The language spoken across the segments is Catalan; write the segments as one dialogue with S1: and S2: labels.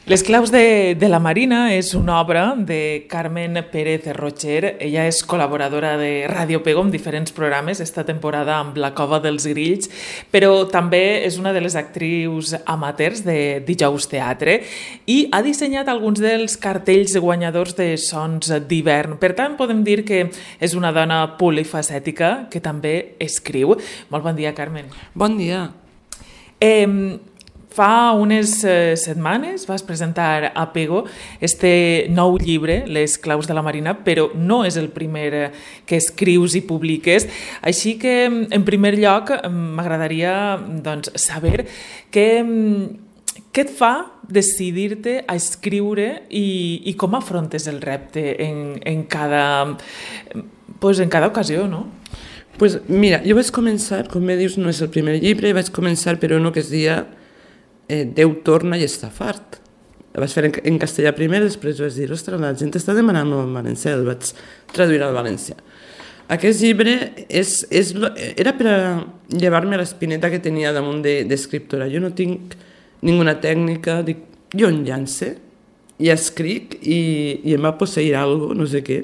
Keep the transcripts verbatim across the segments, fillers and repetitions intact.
S1: Les claus de, de la Marina és una obra de Carmen Pérez Rocher. Ella és col·laboradora de Ràdio Pego en diferents programes, esta temporada amb La Cova dels Grills, però també és una de les actrius amateurs de Dijous Teatre i ha dissenyat alguns dels cartells guanyadors de Sons d'hivern. Per tant, podem dir que és una dona polifacètica que també escriu. Molt bon dia, Carmen.
S2: Bon dia.
S1: Eh, Fa unes eh, setmanes vas presentar a Pego este nou llibre, Les claus de la Marina, però no és el primer que escrius i publiques. Així que, en primer lloc, m'agradaria doncs, saber què, què et fa decidir-te a escriure i, i com afrontes el repte en, en, cada, pues, en cada ocasió, no?
S2: Pues mira, jo vaig començar, com bé dius, no és el primer llibre, vaig començar per uno que es dia Eh, Déu torna i està fart. El vaig fer en, en castellà primer, després vaig dir, ostres, la gent està demanant-ho en valencià, el vaig traduir al valencià. Aquest llibre és, és, era per a llevar-me l'espineta que tenia damunt d'escriptora. De, jo no tinc ninguna tècnica, dic, jo en llance i escric i, i em va posseir alguna cosa, no sé què.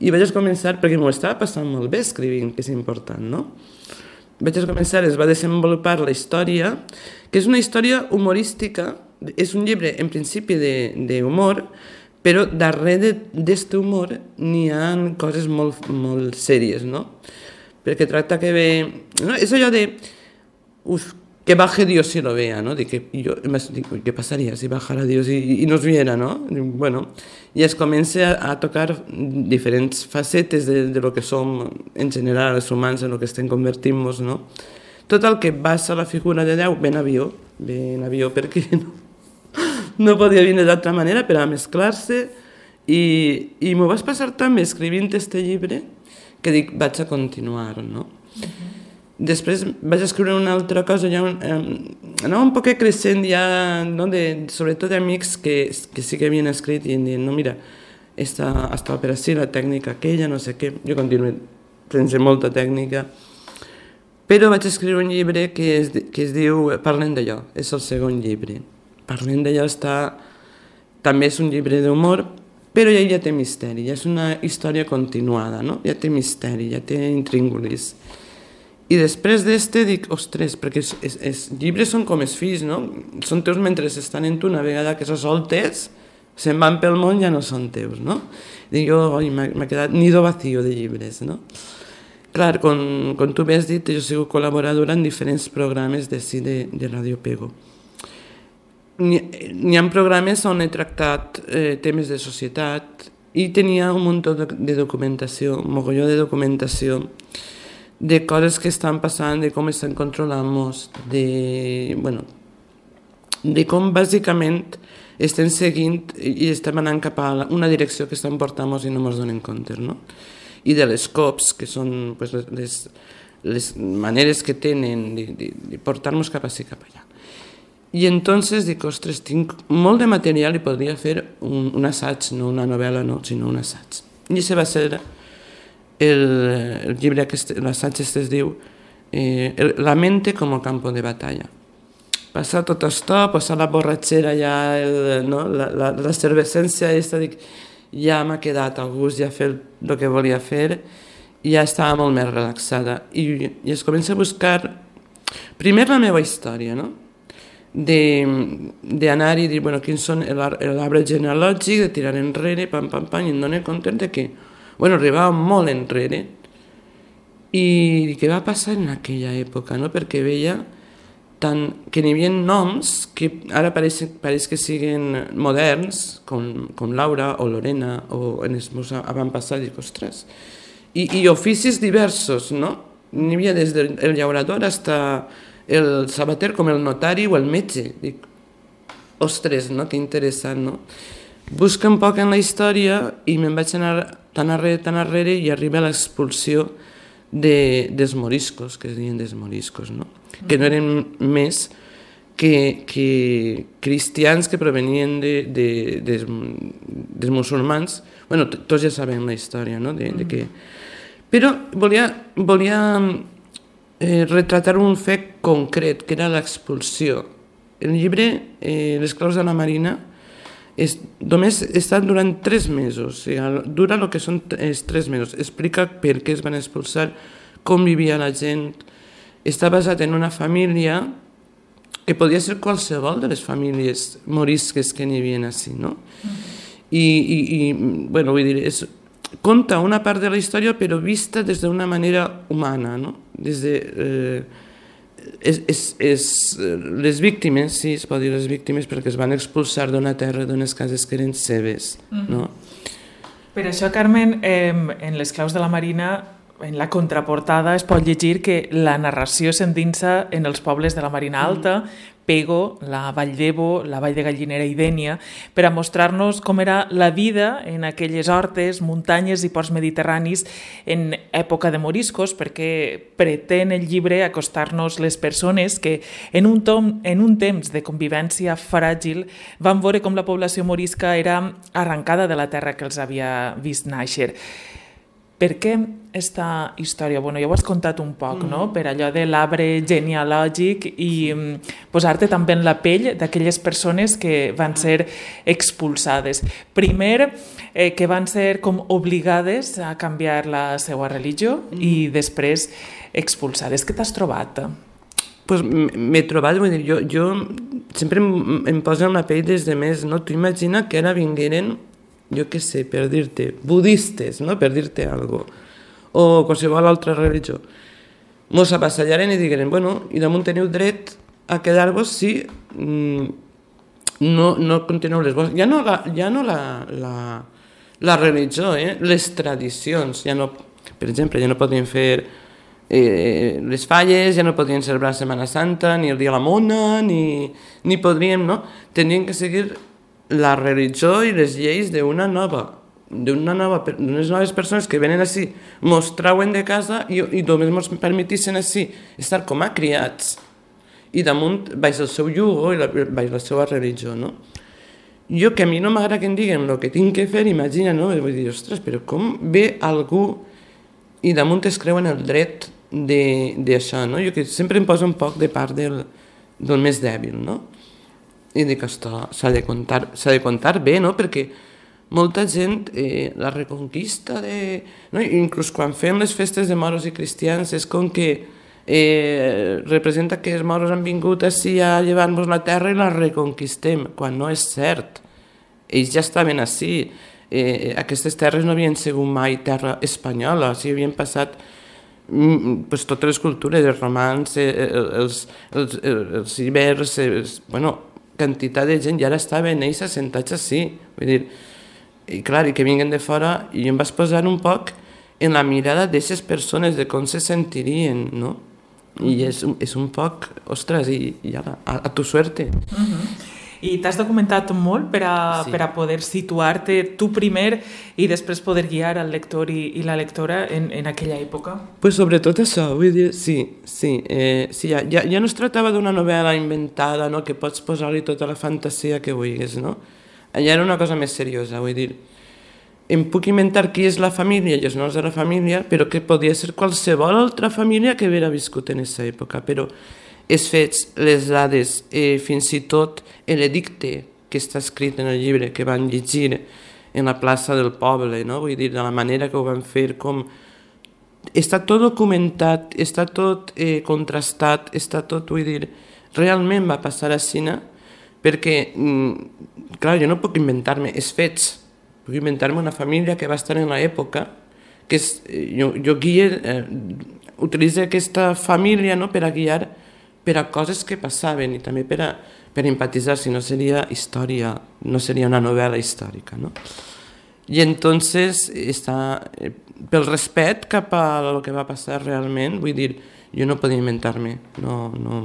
S2: I vaig començar, perquè m'ho estava passant molt bé escrivint, que és important, no? Vaig començar, es va desenvolupar la història, que és una història humorística, és un llibre en principi d'humor, però darrere d'aquest humor n'hi ha coses molt, molt sèries, no? Perquè tracta que ve... No? És allò de... Uf, que baje Dios si lo vea, ¿no? De que yo, digo, ¿qué pasaría si bajara Dios y, y nos viera, no? Bueno, i es comença a, a tocar diferents facetes de, de lo que som en general els humans, en lo que estem convertint-nos, no? Tot el que basa la figura de Déu ve en avió, ve en avió perquè no, no podia venir d'altra manera per a mesclar-se i, i m'ho vaig passar també escrivint este llibre que dic, vaig a continuar, no? Uh-huh. Després vaig escriure una altra cosa, ja un, eh, anava un poc creixent ja, no, de, sobretot d'amics que, que sí que havien escrit i em diuen, no, mira, esta, esta òpera sí, la tècnica aquella, no sé què, jo continuo sense molta tècnica, però vaig escriure un llibre que es, que es diu Parlem d'allò, és el segon llibre. Parlem d'allò està, també és un llibre d'humor, però ja, ja té misteri, ja és una història continuada, no? Ja té misteri, ja té intríngulis. I després d'este dic, ostres, perquè els, els, els llibres són com els fills, no? Són teus mentre estan en tu, una vegada que se soltes, se'n van pel món, ja no són teus, no? Dic jo, oi, m'ha quedat nido vacío de llibres, no? Clar, com, com tu m'has dit, jo he sigut col·laboradora en diferents programes de, de, de Ràdio Pego. N'hi ha programes on he tractat eh, temes de societat i tenia un munt de, de documentació, un mogolló de documentació, de coses que estan passant, de com estan controlant-nos, de, bueno, de com bàsicament estem seguint i estem anant cap a una direcció que estan portant-nos i no ens donem compte, no? I de les cops, que són pues, les, les maneres que tenen de, de, de portar-nos cap ací, cap allà. I entonces dic, ostres, tinc molt de material i podria fer un, un assaig, no una novel·la, no, sinó un assaig. I això va ser el, el llibre, l'assaig este es diu eh, La mente como campo de batalla. Passar tot això, passar la borratxera ja, el, no? la, la, la cervescència aquesta, dic, ja m'ha quedat a gust, ja he fet el que volia fer, i ja estava molt més relaxada. I, i es comença a buscar, primer la meva història, no? D'anar i dir, bueno, quins són l'arbre genealògic, de tirar enrere, pam, pam, pam, i em dono compte de que, bueno, arribava molt enrere, i què va passar en aquella època, no? Perquè veia tant que n'hi havia noms que ara pareix, pareix que siguen moderns, com, com Laura o Lorena, o en els meus avantpassats, dic, ostres, i, i oficis diversos, no? N'hi havia des del llaurador fins el sabater com el notari o el metge. Dic, ostres, no? Que interessant, no? Busca un poc en la història i me'n vaig anar tan arrere, tan arrere i arriba a l'expulsió de, dels moriscos, que es diuen dels moriscos, no? Que no eren més que, que cristians que provenien de, de, de, dels musulmans. Bueno, tots ja sabem la història, no? De, de que... Però volia... volia Eh, retratar un fet concret, que era l'expulsió. El llibre, eh, Les claus de la Marina, és, només he estat durant tres mesos, o sigui, dura el que són els tres mesos, explica per què es van expulsar, com vivia la gent, està basat en una família que podia ser qualsevol de les famílies morisques que n'hi havia així, no? Mm-hmm. I, i, i bueno, vull dir, és, conta una part de la història però vista des d'una manera humana, no? Des de... Eh, és, és, és, les víctimes, sí, es pot dir les víctimes perquè es van expulsar d'una terra, d'unes cases que eren seves, mm-hmm. no?
S1: Per això, Carmen, eh, en les claus de la Marina, en la contraportada es pot llegir que la narració s'endinsa en els pobles de la Marina Alta, mm. Pego, la Vall d'Ebo, la Vall de Gallinera i Dénia, per a mostrar-nos com era la vida en aquelles hortes, muntanyes i ports mediterranis en època de moriscos, perquè pretén el llibre acostar-nos les persones que en un, tom, en un temps de convivència fràgil van veure com la població morisca era arrencada de la terra que els havia vist nàixer. Per què aquesta història? Bueno, ja ho has contat un poc, no? Per allò de l'arbre genealògic i posar-te també en la pell d'aquelles persones que van ser expulsades. Primer, eh, que van ser com obligades a canviar la seva religió i després expulsades. Què t'has trobat?
S2: Pues m'he trobat, vull dir, jo, jo sempre em, em poso en la pell des de més, no? Tu imagina que ara vingueren, jo què sé, per dir-te, budistes, no? Per dir-te alguna cosa, o qualsevol altra religió. Mos avassallaren i digueren, bueno, i damunt teniu dret a quedar-vos si mm, no, no continueu les vostres. Ja no la, ja no la, la, la religió, eh? Les tradicions, ja no, per exemple, ja no podien fer eh, les falles, ja no podien celebrar la Setmana Santa, ni el dia de la Mona, ni, ni podríem, no? Tenien que seguir la religió i les lleis d'una nova, d'una nova, d'unes noves persones que venen així, mos trauen de casa i, i només mos permetissin així estar com a criats i damunt baix el seu jugo i la, baix la seva religió, no? Jo, que a mi no m'agrada que em diguen el que tinc que fer, imagina, no? Vull dir, ostres, però com ve algú i damunt es creuen el dret d'això, no? Jo que sempre em poso un poc de part del, del més dèbil, no? I dic, ostres, s'ha de contar, s'ha de contar bé, no? Perquè molta gent, eh, la reconquista de... No? Inclús quan fem les festes de moros i cristians és com que eh, representa que els moros han vingut així a llevar-nos la terra i la reconquistem, quan no és cert. Ells ja estaven així. Eh, aquestes terres no havien sigut mai terra espanyola, o sigui, havien passat mm, pues, totes les cultures, els romans, eh, els, els, els, els ibers, els, bueno, quantitat de gent ja ara estaven ells assentats així. Vull dir, i clar, i que vinguen de fora, i em vas posar un poc en la mirada d'aquestes persones, de com se sentirien, no? I és, és un poc, ostres, i, i ara, a, a tu suerte.
S1: Uh-huh. I t'has documentat molt per a, sí. per a poder situar-te tu primer i després poder guiar al lector i, i la lectora en, en aquella època?
S2: Pues sobretot això, vull dir, sí, sí, eh, sí ja, ja, ja no es tractava d'una novel·la inventada, no?, que pots posar-li tota la fantasia que vulguis, no? Allà era una cosa més seriosa, vull dir, em puc inventar qui és la família i els noms de la família, però que podia ser qualsevol altra família que haguera viscut en aquesta època, però els fets, les dades, eh, fins i tot l'edicte que està escrit en el llibre, que van llegir en la plaça del poble, no? Vull dir, de la manera que ho van fer, com... Està tot documentat, està tot eh, contrastat, està tot, vull dir, realment va passar a Xina, perquè, mm, clar, jo no puc inventar-me els fets, puc inventar-me una família que va estar en l'època, que és, jo, jo guia, eh, utilitzo aquesta família, no?, per a guiar per a coses que passaven i també per a, per a empatitzar, si no seria història, no seria una novel·la històrica, no? I entonces està, eh, pel respecte cap a el que va passar realment, vull dir, jo no podia inventar-me, no, no,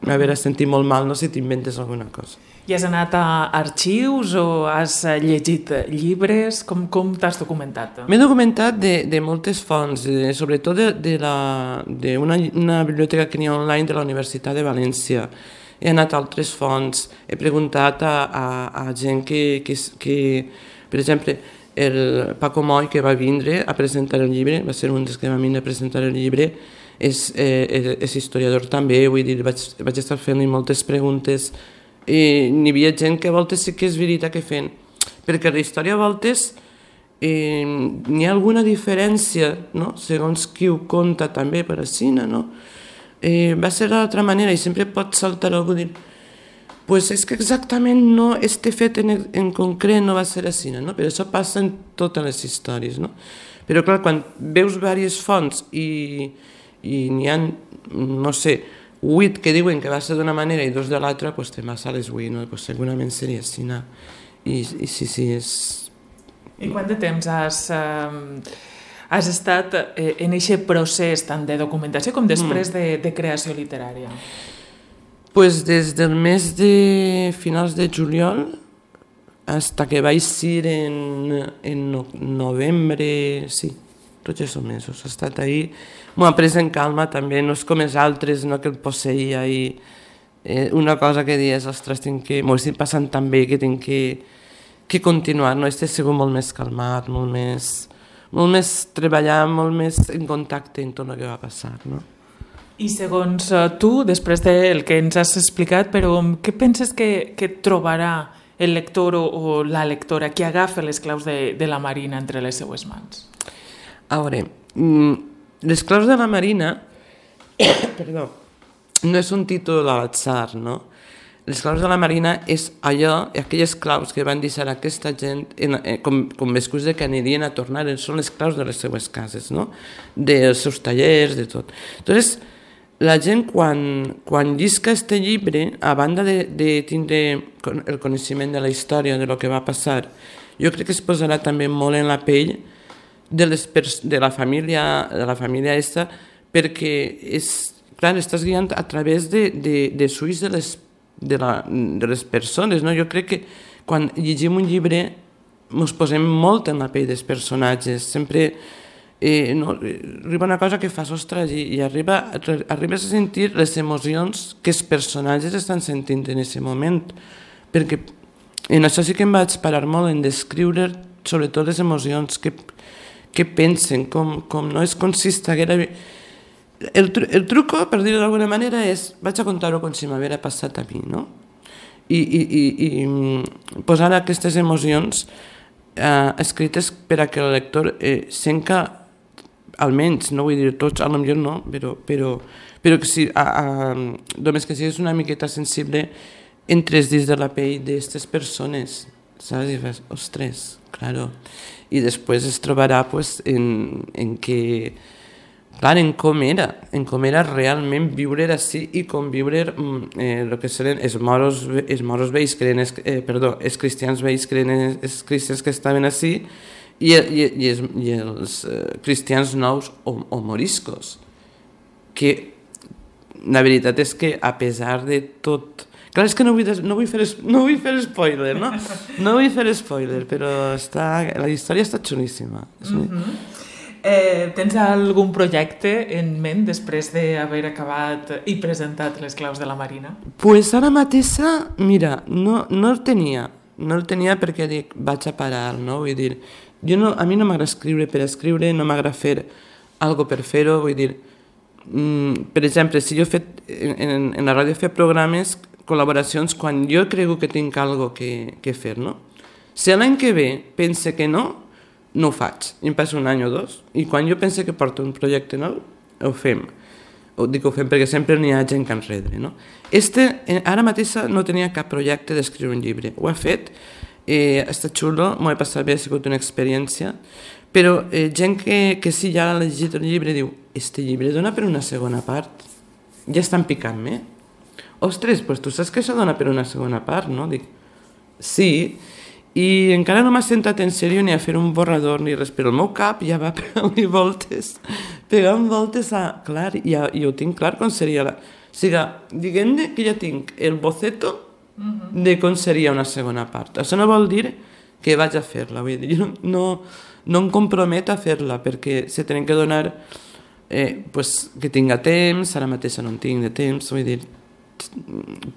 S2: m'haurà sentit molt mal, no sé si t'inventes alguna cosa.
S1: I has anat a arxius o has llegit llibres? Com, com t'has documentat?
S2: M'he documentat de, de moltes fonts, de, sobretot de, de, la, de una, una biblioteca que n'hi ha online de la Universitat de València. He anat a altres fonts, he preguntat a, a, a gent que, que, que, per exemple, el Paco Moy, que va vindre a presentar el llibre, va ser un dels que va vindre a presentar el llibre, és, eh, és historiador també, vull dir, vaig, vaig estar fent-li moltes preguntes eh, n'hi havia gent que a voltes sí que és veritat que feien, perquè la història a voltes eh, n'hi ha alguna diferència, no? Segons qui ho conta també per a cine, no? Eh, va ser d'altra manera i sempre pot saltar algú i dir pues és que exactament no, este fet en, en concret no va ser a cine, no? Però això passa en totes les històries, no? Però clar, quan veus diverses fonts i, i n'hi ha, no sé, vuit que diuen que va ser d'una manera i dos de l'altra, pues te vas a les vuit, no? Pues segurament seria cine. I, i sí, sí, és...
S1: I quant de temps has, eh, has estat eh, en aquest procés tant de documentació com després mm. de, de creació literària?
S2: Pues des del mes de finals de juliol hasta que vaig ser en, en no, novembre, sí, tots aquests mesos. He estat ahí, m'ho he pres en calma també, no és com els altres, no, que el posseïa i eh, una cosa que dius, ostres, tinc que, m'ho estic passant tan bé que tinc que, que continuar, no? Este ha sigut molt més calmat, molt més, molt més treballar, molt més en contacte en tot el que va passar, no?
S1: I segons uh, tu, després del que ens has explicat, però què penses que, que trobarà el lector o, o la lectora que agafa les claus de, de la Marina entre les seues mans?
S2: A veure, les claus de la Marina, perdó, no és un títol a l'atzar, no? Les claus de la Marina és allò, aquelles claus que van deixar aquesta gent, en, eh, com, com l'excusa que anirien a tornar, són les claus de les seues cases, no? Dels seus tallers, de tot. Entonces, la gent quan, quan llisca aquest llibre, a banda de, de tindre el coneixement de la història, de lo que va passar, jo crec que es posarà també molt en la pell de, les pers de la família de la família aquesta, perquè és, clar, estàs guiant a través de, de, de ulls de les, de, la, de les persones, no? Jo crec que quan llegim un llibre ens posem molt en la pell dels personatges, sempre... Eh, no, arriba una cosa que fas, ostres, i, i arriba, arribes a sentir les emocions que els personatges estan sentint en aquest moment, perquè en això sí que em vaig parar molt en descriure sobretot les emocions que, que pensen, com, com no és com si estiguera... El, el truco, per dir-ho d'alguna manera, és vaig a contar-ho com si m'haguera passat a mi, no? I, i, i, i posar aquestes emocions eh, escrites per a que el lector eh, senca, almenys, no vull dir tots, a lo millor no, però, però, però que si, a, a, només que siguis una miqueta sensible, entres dins de la pell d'aquestes persones, saps? I fas, ostres, claro. I després es trobarà pues, en, en que, clar, en com era, en com era realment viure així i conviure eh, el que seran els moros, els moros vells, que eren, eh, perdó, els cristians vells, que eren els cristians que estaven així, i, i, i els, i els uh, cristians nous o, o moriscos, que la veritat és que a pesar de tot... Clar, és que no vull, no vull, fer, no vull fer spoiler, no? No vull fer spoiler, però està, la història està xulíssima.
S1: Mm-hmm. eh, tens algun projecte en ment després d'haver acabat i presentat les claus de la Marina?
S2: Pues ara mateixa, mira, no, no el tenia. No el tenia perquè dic, vaig a parar, no? Vull dir, jo no, a mi no m'agrada escriure per escriure, no m'agrada fer algo per fer-ho, vull dir, mm, per exemple, si jo he fet, en, en la ràdio he fet programes, col·laboracions, quan jo crego que tinc algo que, que fer, no? Si l'any que ve pense que no, no ho faig, i em passa un any o dos, i quan jo pense que porto un projecte nou, ho fem. Ho dic ho fem perquè sempre n'hi ha gent que enrere, no? Este, ara mateix no tenia cap projecte d'escriure un llibre, ho he fet, eh, ha estat xulo, m'ho he passat bé, ha sigut una experiència, però eh, gent que, que sí ja ha llegit el llibre diu, este llibre dona per una segona part, ja estan picant-me. Ostres, pues tu saps que això dona per una segona part, no? Dic, sí, i encara no m'ha sentat en sèrio ni a fer un borrador ni res, però el meu cap ja va pegant-li voltes, pegant voltes a... Clar, ja, i ho tinc clar com seria la... O sigui, diguem-ne que ja tinc el boceto de com seria una segona part. Això no vol dir que vaig a fer-la, vull dir, jo no, no em comprometo a fer-la, perquè se tenen que donar eh, pues, que tinga temps, ara mateix no en tinc de temps, vull dir,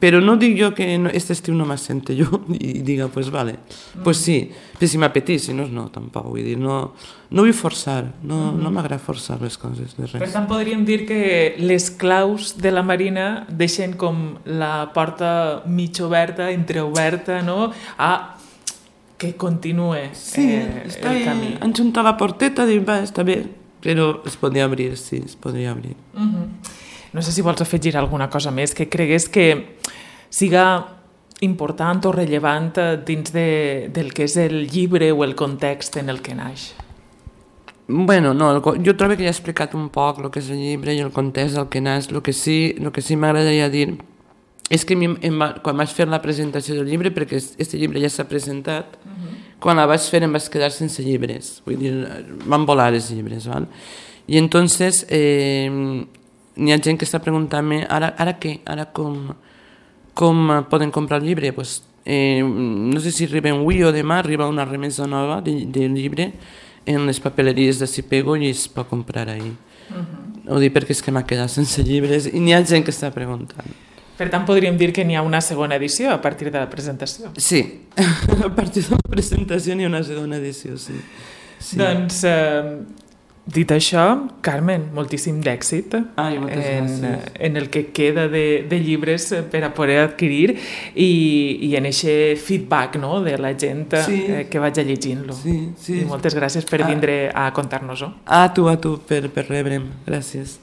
S2: però no dic jo que no, este estiu no m'assente jo i diga, pues vale, pues sí, però si m'apetís, si no, no, tampoc, vull dir, no, no vull forçar, no, mm-hmm. no m'agrada forçar les coses de res.
S1: Per tant, podríem dir que les claus de la Marina deixen com la porta mig oberta, entreoberta, no?, a que continue
S2: sí,
S1: eh,
S2: està
S1: el camí.
S2: Han juntat la porteta, dic, va, està bé, però es podria obrir, sí, es podria obrir.
S1: Mm-hmm. No sé si vols afegir alguna cosa més que cregués que siga important o rellevant dins de, del que és el llibre o el context en el que naix.
S2: Bueno, no, el, jo trobo que ja he explicat un poc el que és el llibre i el context del que naix. El que sí, el que sí m'agradaria dir és que mi, em va, quan vaig fer la presentació del llibre, perquè aquest llibre ja s'ha presentat, uh-huh. quan la vaig fer em vaig quedar sense llibres, vull dir, van volar els llibres, val? I entonces eh, n'hi ha gent que està preguntant-me ara, ara què? Ara com, com poden comprar el llibre? Pues, eh, no sé si arriba avui o demà, arriba una remesa nova del de llibre en les papeleries de Sipego i es pot comprar ahir. Uh-huh. Ho dic perquè és que m'ha quedat sense llibres i n'hi ha gent que està preguntant.
S1: Per tant, podríem dir que n'hi ha una segona edició a partir de la presentació.
S2: Sí, a partir de la presentació n'hi ha una segona edició, sí. sí.
S1: Doncs, eh, dit això, Carmen, moltíssim d'èxit
S2: Ai,
S1: en, en el que queda de, de llibres per a poder adquirir i, i en aquest feedback, no?, de la gent sí. eh, que vaig llegint-lo.
S2: Sí, sí.
S1: I moltes gràcies per vindre a contar-nos-ho.
S2: A tu, a tu, per, per rebre'm. Gràcies.